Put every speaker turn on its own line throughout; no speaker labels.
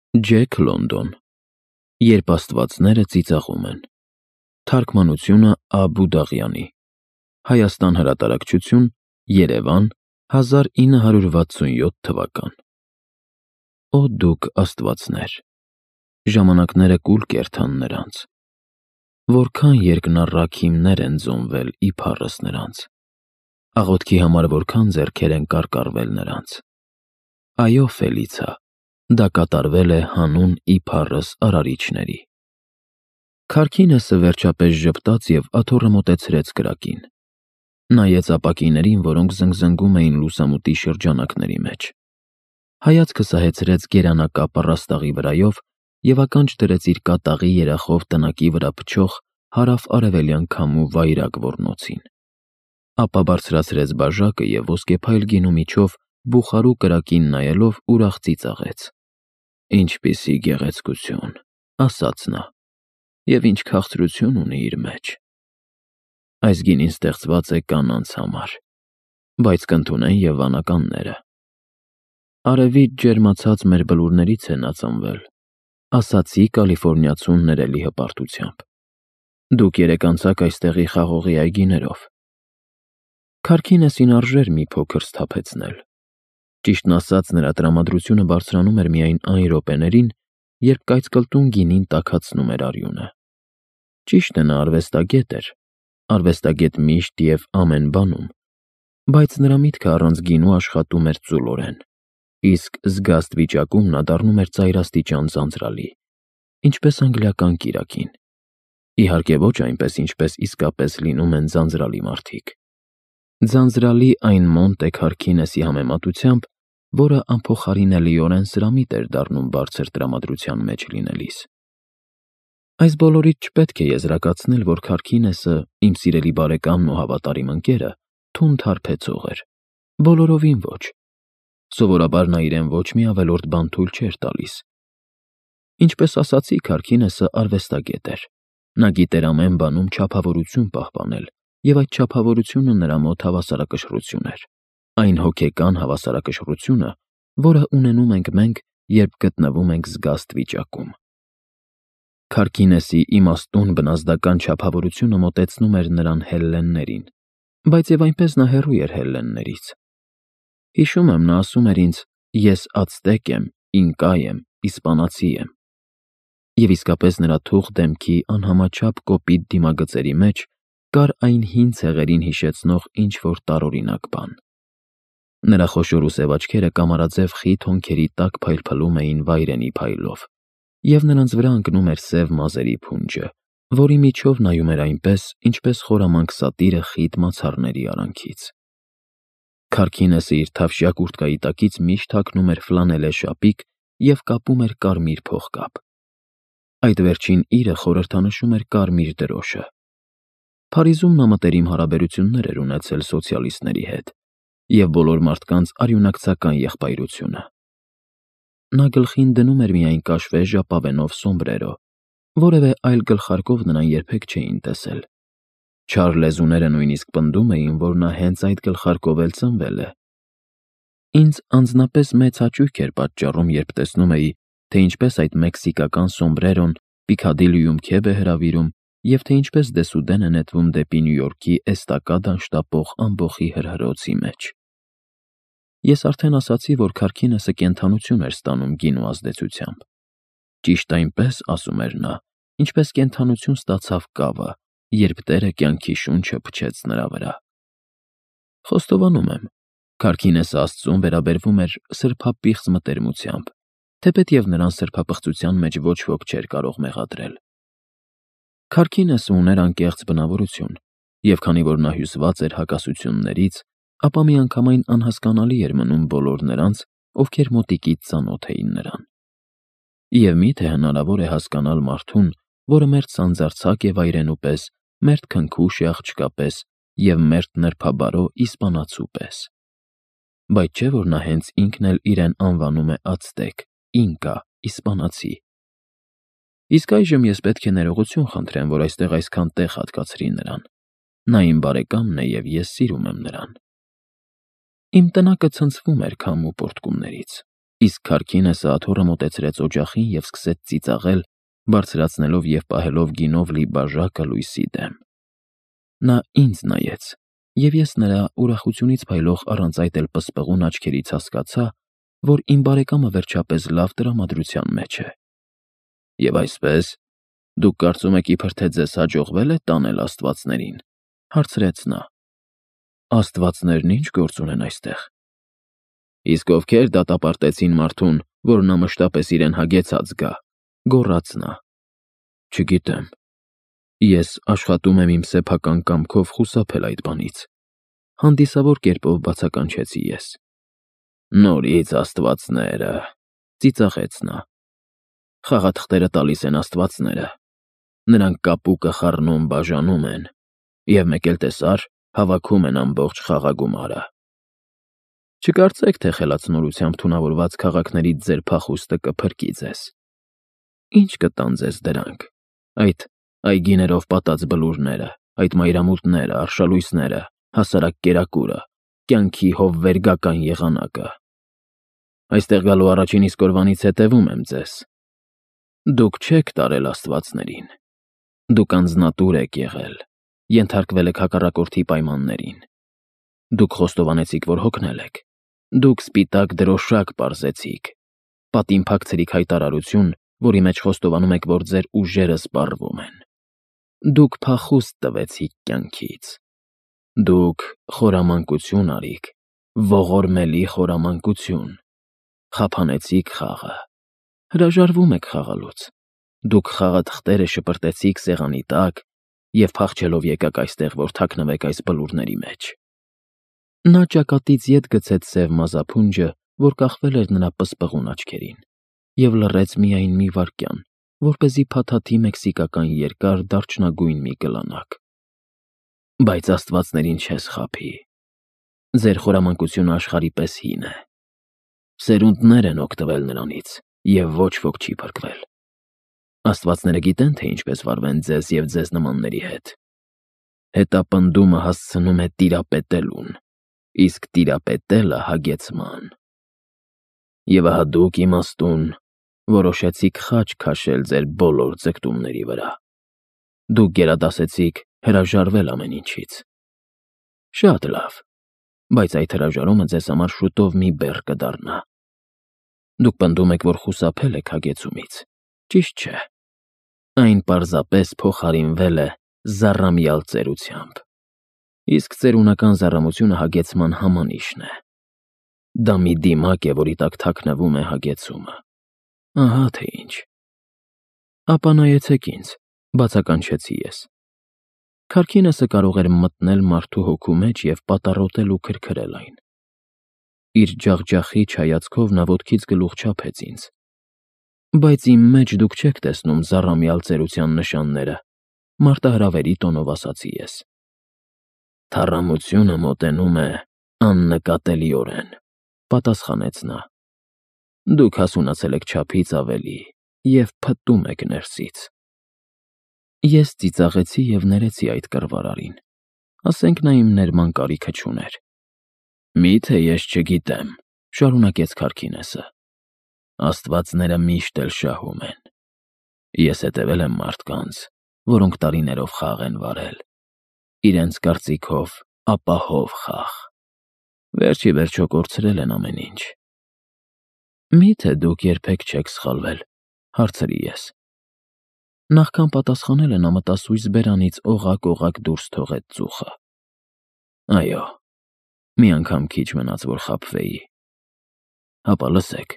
Ջեք Լոնդոն, Երբ աստվածները ծիծաղում են, Թարգմանությունը Ա. Բուդաղյանի, Հայաստան հրատարակչություն, Երևան, 1967 թվական։ Օ դուք աստվածներ, ժամանակները կուլ կերթան նրանց, որքան երկնառակ հիմներ են ձոնվել իբառս նրանց, աղոթքի համար որքան ձեռքեր են կարկառվել նրանց։ Այո, Ֆելիցա, դա կատարվել է հանուն իբառս արարիչների։ Քարքինեսը վերջապես ժպտաց և աթոռը մոտեցրեց կրակին։ Նայեց ապակիներին, որոնք զնգզնգում էին լուսամուտի շրջանակների մեջ։ Հայացքը սահեցրեց գերանակապ առաստաղի վրայով և ականջ դրեց իր կատաղի երախով տնակի վրա փչող հարավ-արևելյան քամու վայրագ ոռնոցին։ Ապա բարձրացրեց բաժակը և ոսկեփայլ գինու միջով բուխարու կրակին նայելով ուրախ ծիծաղեց։ «Ինչպիսի գեղեցկություն», ասաց նա, «և ինչ քաղցրություն ունի իր մեջ։ Այս գինին ստեղծված է կանանց համար, բայց կընդունեն և վանականները։ Արևից ջերմացած մեր բլուրներից է նա ծնվել», ասացի կալիֆոռնիացուն ներելի հպարտությամբ։ «Դուք երեկ անցաք այստեղի խաղողի այգիներով»։ Քարքինեսին արժեր մի փոքր սթափեցնել։ Ճիշտն ասած, նրա տրամադրությունը բարձրանում էր միայն այն րոպեներին, երբ կայծկլտուն գինին տաքացնում էր արյունը։ Ճիշտ է, նա արվեստագետ էր, արվեստագետ միշտ և ամեն բանում, բայց նրա միտքը առանց գինու աշխատում էր ծուլորեն, իսկ զգաստ վիճակում նա դառնում էր ծայրաստիճան ձանձրալի, ինչպես անգլիական կիրակին։ Իհարկե ոչ այնպես, ինչպես իսկապես լինում են ձանձրալի մարդիկ։ Ձանձրալի այն Մոնտե Քարքինեսի համեմատությամբ, որը անփոխարինելիորեն սրամիտ էր դառնում բարձր տրամադրության մեջ լինելիս։ Այս բոլորից չպետք է եզրակացնել, որ Քարքինեսը, իմ սիրելի բարեկամն ու հավատարիմ ընկերը, թունդ հարբեցող էր։ Բոլորովին ոչ։ Սովորաբար նա իրեն ոչ մի ավելորդ բան թույլ չէր տալիս։ Ինչպես ասացի, Քարքինեսը արվեստագետ էր։ Նա գիտեր ամեն բանում չափավորություն պահպանել, և այդ չափավորությունը նրա մոտ հավասարակշռություն էր։ Այն հոգեկան հավասարակշռությունը, որը ունենում ենք մենք, երբ գտնվում ենք զգաստ վիճակում։ Քարքինեսի իմաստուն բնազդական չափավորությունը մոտեցնում էր նրան հելլեններին, բայց և այնպես նա հեռու էր հելլեններից։ Հիշում եմ, նա ասում էր ինձ. «Ես ացտեկ եմ, ինկա եմ, իսպանացի եմ»։ Եվ իսկապես նրա թուխ դեմքի անհամաչափ կոպիտ դիմագծերի մեջ կար այն հին ցեղերին հիշեցնող ինչ-որ տարօրինակ բան։ Նրա խոշոր ու սև աչքերը կամարաձև խիտ հոնքերի տակ փայլփլում էին վայրենի փայլով, և նրանց վրա ընկնում էր սև մազերի փունջը, որի միջով նայում էր այնպես, ինչպես խորամանկ սատիրը խիտ մացառների արանքից։ Քարքինեսը իր թավշյա կուրտկայի տակից միշտ հագնում էր ֆլանելե շապիկ և կապում էր կարմիր փողկապ։ Այդ վերջին իրը խորհրդանշում էր կարմիր դրոշը։ Փարիզում նա մտերիմ հարաբերություններ էր ունեցել սոցիալիստների հետ և բոլոր մարդկանց արյունակցական եղբայրությունը։ Նա գլխին դնում էր միայն կաշվե ժապավենով սոմբրերո, որևէ այլ գլխարկով նրան երբեք չէին տեսել։ Չար լեզուները նույնիսկ պնդում էին, որ նա հենց այդ գլխարկով էլ ծնվել է։ Ինձ անձնապես մեծ հաճույք էր պատճառում, երբ տեսնում էի, թե ինչպես այդ մեքսիկական սոմբրերոն Պիքադիլիում քեֆ է հրավիրում և թե ինչպես դեսուդեն է նետվում դեպի Նյու Յորքի էստակադան շտապող ամբոխի հրհրոցի մեջ։ Ես արդեն ասացի, որ Քարքինեսը կենդանություն էր ստանում գինու ազդեցությամբ։ Ճիշտ այնպես, ասում էր նա, ինչպես կենդանություն ստացավ կավը, երբ տերը կյանքի շունչը փչեց նրա վրա։ Խոստովանում եմ, Քարքինեսը Աստծուն վերաբերվում էր սրբապիղծ մտերմությամբ, թեպետև նրան սրբապղծության մեջ ոչ ոք չէր կարող մեղադրել։ Քարքինեսը ուներ անկեղծ բնավորություն, և քանի որ նա հյուսված էր հակասություններից, ապա միանգամայն անհասկանալի էր մնում բոլոր նրանց, ովքեր մոտիկից ծանոթ էին նրան։ Եվ մի՞թե հնարավոր է հասկանալ մարդուն, որը մերթ սանձարձակ է վայրենու պես, մերթ քնքուշ է աղջկա պես և մերթ նրբաբարո իսպանացու պես։ Բայց չէ՞ որ նա հենց ինքն էլ իրեն անվանում է ացտեկ, ինկա, իսպանացի։ Իսկ այժմ ես պետք է ներողություն խնդրեմ, որ այստեղ այսքան տեղ հատկացրի նրան։ Նա իմ բարեկամն է և ես սիրում եմ նրան։ Իմ տնակը ցնցվում էր քամու պոռթկումներից։ Իսկ Քարքինեսը աթոռը մոտեցրեց օջախին և սկսեց ծիծաղել, բարձրացնելով և պահելով գինով լի բաժակը լույսի դեմ։ Նա ինձ նայեց, և ես նրա ուրախությունից փայլող առանց այդ էլ պսպղուն աչքերից հասկացա, որ իմ բարեկամը վերջապես լավ տրամադրության մեջ է։ «Եվ այսպես, դուք կարծում եք իբր թե ձեզ հաջողվել է տանել աստվածներին», հարցրեց նա։ «Աստվածներն ինչ գործ ունեն այստեղ»։ «Իսկ ովքեր դատապարտեցին մարդուն, որ նա մշտապես իրեն հագեցած գա», գոռաց նա։ «Չգիտեմ։ Ես աշխատում եմ իմ սեփական կամքով խուսափել այդ բանից», հանդիսավոր կերպով բացականչեցի ես։ «Նորից աստվածները», ծիծաղեց նա։ «Խաղաթղթերը տալիս են աստվածները։ Նրանք կապուկը խառնում բաժանում են, և մեկ էլ տեսար, հավաքում են ամբողջ խաղագումարը։ Չկարծեք, թե խելացնորությամբ թունավորված քաղաքներից ձեր փախուստը կփրկի ձեզ։ Ինչ կտան ձեզ դրանք, այդ այգիներով պատած բլուրները, այդ մայրամուտները, արշալույսները, հասարակ կերակուրը, կյանքի հովվերգական եղանակը։ Այստեղ գալու առաջին իսկ օրվանից հետևում եմ ձեզ։ Դուք չեք տարել աստվածներին։ Դուք անձնատուր եք եղել, ենթարկվել եք հակառակորդի պայմաններին։ Դուք խոստովանեցիք, որ հոգնել եք։ Դուք սպիտակ դրոշակ պարզեցիք, պատին փակցրիք հայտարարություն, որի մեջ խոստովանում եք, որ ձեր ուժերը սպառվում են։ Դուք փախուստ տվեցիք կյանքից։ Դուք խորամանկություն արիք, ողորմելի խորամանկություն։ Խափանեցիք խաղը։ Հրաժարվում եք խաղալուց։ Դուք խաղաթղթերը շպրտեցիք սեղանի տակ և փախչելով եկաք այստեղ, որ թաքնվեք այս բլուրների մեջ։ Նա ճակատից ետ գցեց սև մազափունջը, որ կախվել էր նրա պսպղուն աչքերին, և լռեց միայն մի վայրկյան, որպեսզի փաթաթի մեքսիկական երկար դարչնագույն մի կլանակ։ Բայց աստվածներին չես խաբի։ Ձեր խորամանկությունը աշխարհի պես հին է։ Սերունդներ են օգտվել նրանից, և ոչ ոք չի փրկվել։ Աստվածները գիտեն, թե ինչպես վարվեն ձեզ և ձեզ նմանների հետ։ Հետապնդումը հասցնում է տիրապետելուն, իսկ տիրապետելը հագեցման։ Եվ ահա դուք, իմաստուն, որոշեցիք խաչ քաշել ձեր բոլոր ձգտումների վրա։ Դուք գերադասեցիք հրաժարվել ամեն ինչից։ Շատ լավ, բայց այդ հրաժարումը ձեզ համար շուտով մի բեռ կդառնա։ Դուք պնդում եք, որ խուսափել եք հագեցումից։ Ճիշտ չէ։ Այն պարզապես փոխարինվել է զառամյալ ծերությամբ։ Իսկ ծերունական զառամությունը հագեցման համանիշն է։ Դա մի դիմակ է, որի տակ թաքնվում է հագեցումը։ Ահա թե ինչ։ Ապա նայեցեք ինձ, բացականչեցի ես։ Քարքինեսը կարող էր մտնել մարդու հոգու մեջ և պատառոտել ու քրքրել այն։ Իր ջախջախիչ հայացքով նա ոտքից գլուխ չափեց ինձ։ Բայց իմ մեջ դուք չեք տեսնում զառամյալ ծերության նշանները, մարտահրավերի տոնով ասացի ես։ Թառամությունը մոտենում է աննկատելիորեն, պատասխանեց նա։ Դուք հասունացել եք չափից ավելի և փտտում եք ներսից։ Ես ծիծաղեցի և ներեցի այդ կռվարարին։ Ասենք նա իմ ներման կարիքը չուներ։ Մի՞թե ես չգիտեմ, շարունակեց Քարքինեսը։ Աստվածները միշտ էլ շահում են։ Ես հետևել եմ մարդկանց, որոնք տարիներով խաղ են վարել։ Իրենց կարծիքով ապահով խաղ։ Վերջ ի վերջո կորցրել են ամեն ինչ։ Մի՞թե դուք երբեք չեք սխալվել, հարցրի ես։ Նախքան պատասխանելը նա մտասույզ բերանից օղակ-օղակ դուրս թողեց ծուխը։ Այո, մի անգամ քիչ մնաց, որ խաբվեի։ Հապա լսեք,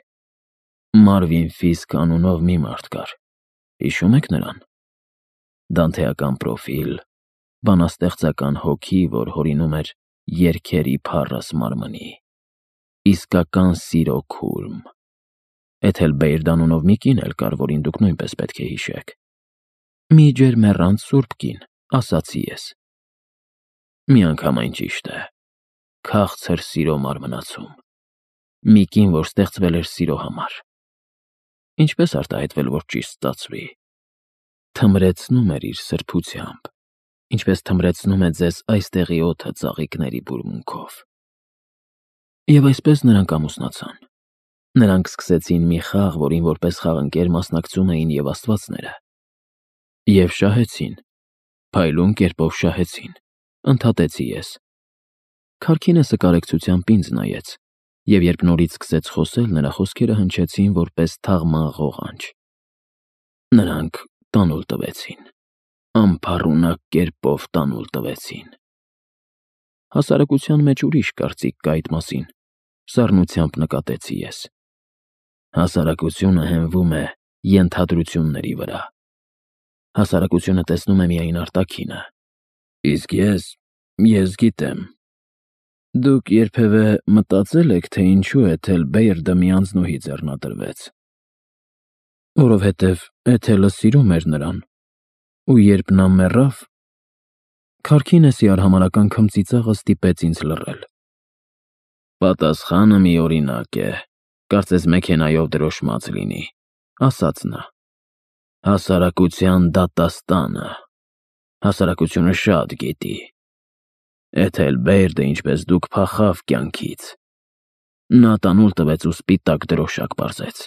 Մարվին Ֆիսկ անունով մի մարդ կար, հիշում եք նրան։ Դանթեական պրոֆիլ, բանաստեղծական հոգի, որ հորինում էր երգերի փառս մարմնի, իսկական սիրո քուրմ։ Էթել Բեյրդ անունով մի կին էլ կար, որին դուք նույնպես պետք է հիշեք։ Մի ջերմեռանդ սուրբ կին, ասացի ես։ Մի անգամ այն ճիշտ է, քաղցր սիրո մարմնացում, մի կին, որ ստեղծվել էր սիրո համար։ Ինչպես արտահայտվել, որ ճիշտ ստացվի։ Թմրեցնում էր իր սրբությամբ, ինչպես թմրեցնում է ձեզ այստեղի օդը ծաղիկների բուրմունքով։ Եվ այսպես նրանք ամուսնացան։ Նրանք սկսեցին մի խաղ, որին որպես խաղընկեր մասնակցում էին և աստվածները։ Եվ շահեցին, փայլուն կերպով շահեցին, ընդհատեցի ես։ Քարքինեսը կարեկցությամբ ինձ նայեց, և երբ նորից սկսեց խոսել, նրա խոսքերը հնչեցին որպես թաղման ղողանջ։ Նրանք տանուլ տվեցին, անփառունակ կերպով տանուլ տվեցին։ Հասարակության մեջ ուրիշ կարծիք կա այդ մասին, սառնությամբ նկատեցի ես։ Հասարակությունը հենվում է ենթադրությունների վրա։ Հասարակությունը տեսնում է միայն արտաքինը։ Իսկ ես գիտեմ։ Դուք երբևէ մտածել եք, թե ինչու Էթելբերդը մի անձնուհի ձեռնադրվեց։ Որովհետև Էթելը սիրում էր նրան, ու երբ նա մեռավ, Քարքինեսի արհամարհական քմծիծաղը ստիպեց ինձ լռել։ Պատասխանը միօրինակ է, կարծես մեքենայով դրոշմած լինի, ասաց նա։ Հասարակության դատաստանը։ Հասարակությունը շատ գիտի։ Էթելբերդը, ինչպես դուք, փախավ կյանքից։ Նա տանուլ տվեց ու սպիտակ դրոշակ պարզեց։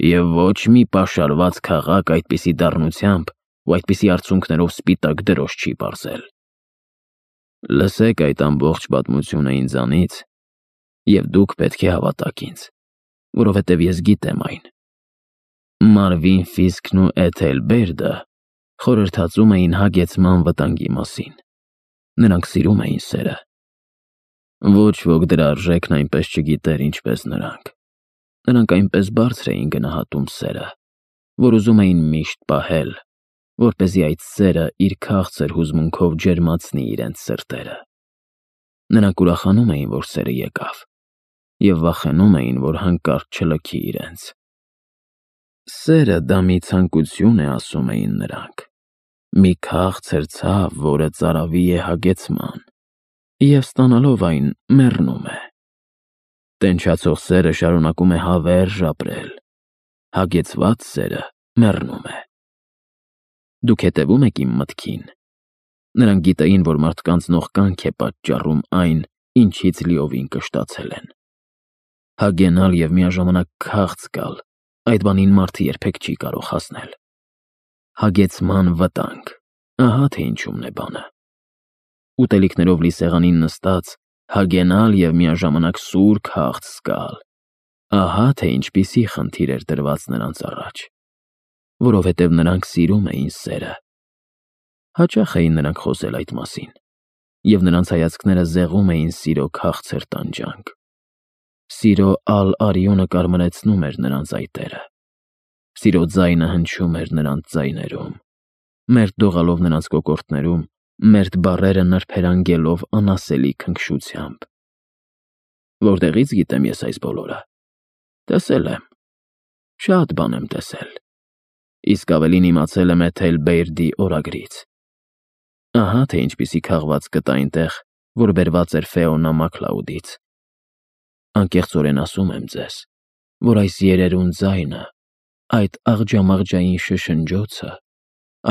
Եվ ոչ մի պաշարված քաղաք այդպիսի դառնությամբ ու այդպիսի արցունքներով սպիտակ դրոշ չի պարզել։ Լսեք այդ ամբողջ պատմությունը ինձանից, և դուք պետք է հավատաք ինձ, որովհետև ես գիտեմ այն։ Մարվին Ֆիսքն ու Էթելբերդը խորհրդածում էին հագեցման վտանգի մասին։ Նրանք սիրում էին սերը։ Ոչ ոք դրա արժեքն այնպես չգիտեր, ինչպես նրանք։ Նրանք այնպես բարձր էին գնահատում սերը, որ ուզում էին միշտ պահել, որպեսզի այդ սերը իր քաղցր հուզմունքով ջերմացնի իրենց սրտերը։ Նրանք ուրախանում էին, որ սերը եկավ, և վախենում էին, որ հանկարծ չլքի իրենց։ Սերը դա մի ցանկություն է, ասում էին նրանք, մի քաղցր ցավ, որը ծարավի է հագեցման, և ստանալով այն մեռնում է։ Տենչացող սերը շարունակում է հավերժ ապրել, հագեցված սերը մեռնում է։ Դուք հետևում եք իմ մտքին։ Նրանք գիտեին, որ մարդկանց նողկանք է պատճառում այն, ինչից լիովին կշտացել են։ Հագենալ և միաժամանակ քաղց գալ, այդ բանին մարդը երբեք չի կարող հասնել։ Հագեցման վտանգ, ահա թե ինչումն է բանը։ Ուտելիքներով լի սեղանին նստած, հագենալ և միաժամանակ սուր քաղց զգալ, ահա թե ինչպիսի խնդիր էր դրված նրանց առաջ։ Որովհետև նրանք սիրում էին սերը։ Հաճախ էին նրանք խոսել այդ մասին, և նրանց հայացքները զեղում էին սիրո քաղցր տանջանք։ Սիրո ալ-արյունը կարմրեցնում էր նրանց այտերը։ Սիրո ձայնը հնչում էր նրանց ձայներում, մերթ դողալով նրանց կոկորդներում, մերթ բառերը նրբերանգելով անասելի քնքշությամբ։ Որտեղից գիտեմ ես այս բոլորը։ Տեսել եմ։ Շատ բան եմ տեսել։ Իսկ ավելին իմացել եմ Էթելբերդի օրագրից։ Ահա թե ինչպիսի քաղված կտա այնտեղ, որ բերված էր Ֆեոնա Մաքլաուդից։ Անկեղծորեն ասում եմ ձեզ, որ այս երերուն ձայնը, այդ աղջամաղջային շշնջոցը,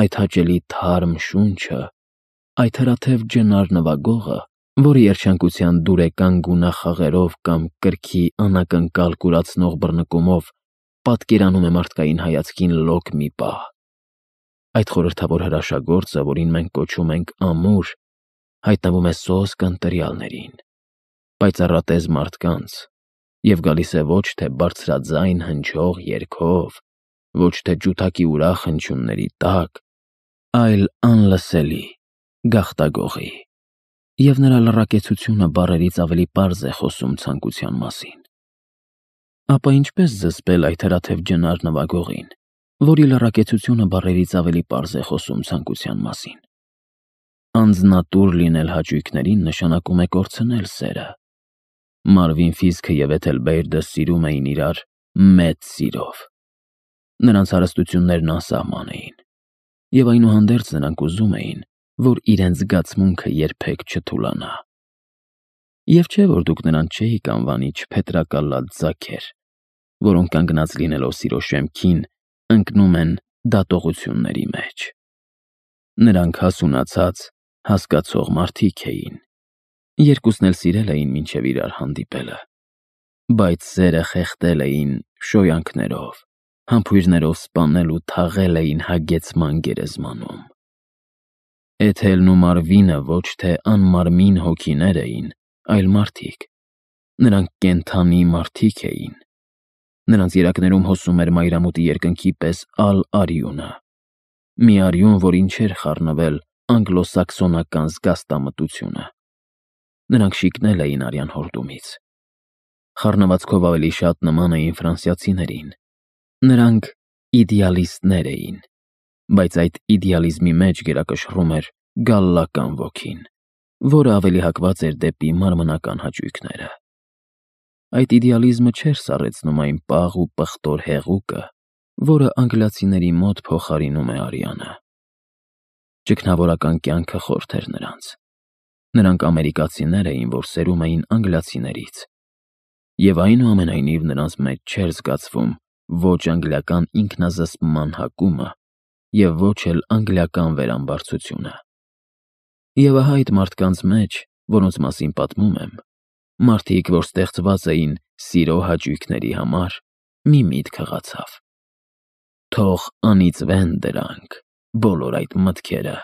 այդ հաճելի թարմ շունչը, այդ հրաթև ջնար նվագողը, որը երջանկության դուրեկան գունախաղերով կամ կրքի անակնկալ կուրացնող բռնկումով պատկերանում է մարդկային հայացքին լոկ մի պահ։ Այդ խորհրդավոր հրաշագործը, որին մենք կոչում ենք ամուր, հայտնվում է սոսկ ընտրյալներին, պայծառատեզ մարդկանց, և գալիս է ոչ թե բարձրաձայն հնչող երգով, ոչ թե ջութակի ուրախ հնչյունների տակ, այլ անլսելի գաղտագողի, և նրա լռակեցությունը բառերից ավելի պարզ է խոսում ցանկության մասին։ Ապա ինչպես զսպել այդ հրաթև ջնար նվագողին, որի լռակեցությունը բառերից ավելի պարզ է խոսում ցանկության մասին։ Անձնատուր լինել հաճույքներին նշանակում է կորցնել սերը։ Մարվին Ֆիսքը և Էթելբերդը սիրում էին իրար մեծ սիրով։ Նրանց հարստություններն անսահման էին, և այնուհանդերձ նրանք ուզում էին, որ իրենց զգացմունքը երբեք չթուլանա։ Եվ չէ, որ դուք նրանց չէիք անվանի չփետրակալած ձագեր, որոնք կանգնած լինելով սիրո շեմքին, ընկնում են դատողությունների մեջ։ Նրանք հասունացած, հասկացող մարդիկ էին։ Երկուսն էլ սիրել էին մինչև իրար հանդիպելը։ բայց սերը խեղդել էին շոյանքներով, համբույրներով սպանել ու թաղել էին հագեցման գերեզմանում։ Էթելն ու Մարվինը ոչ թե անմարմին հոգիներ էին, այլ մարդիկ։ Նրանք կենդանի մարդիկ էին։ Նրանց երակներում հոսում էր մայրամուտի երկնքի պես ալ-արյունը, մի արյուն, որին չէր խառնվել անգլոսաքսոնական զգաստամտությունը։ Նրանք շիկնել էին արյան հորդումից։ Խառնվածքով ավելի շատ նման էին ֆրանսիացիներին։ Նրանք իդեալիստներ էին, բայց այդ իդեալիզմի մեջ գերակշռում էր գալլական ոգին, որը ավելի հակված էր դեպի մարմնական հաճույքները։ Այդ իդեալիզմը չէր սառեցնում այն պաղ ու պղտոր հեղուկը, որը անգլիացիների մոտ փոխարինում է արյանը։ Ճգնավորական կյանքը խորթ էր նրանց։ Նրանք ամերիկացիներ էին, որ սերում էին անգլիացիներից, և այնուամենայնիվ նրանց մեջ չէր զգացվում ոչ անգլիական ինքնազսպման հակումը և ոչ էլ անգլիական վերամբարձությունը։ Եվ ահա այդ մարդկանց մեջ, որոնց մասին պատմում եմ, մարդիկ, որ ստեղծված էին սիրո հաճույքների համար, մի միտք հղացավ. թող անիծվեն դրանք բոլոր այդ մտքերը,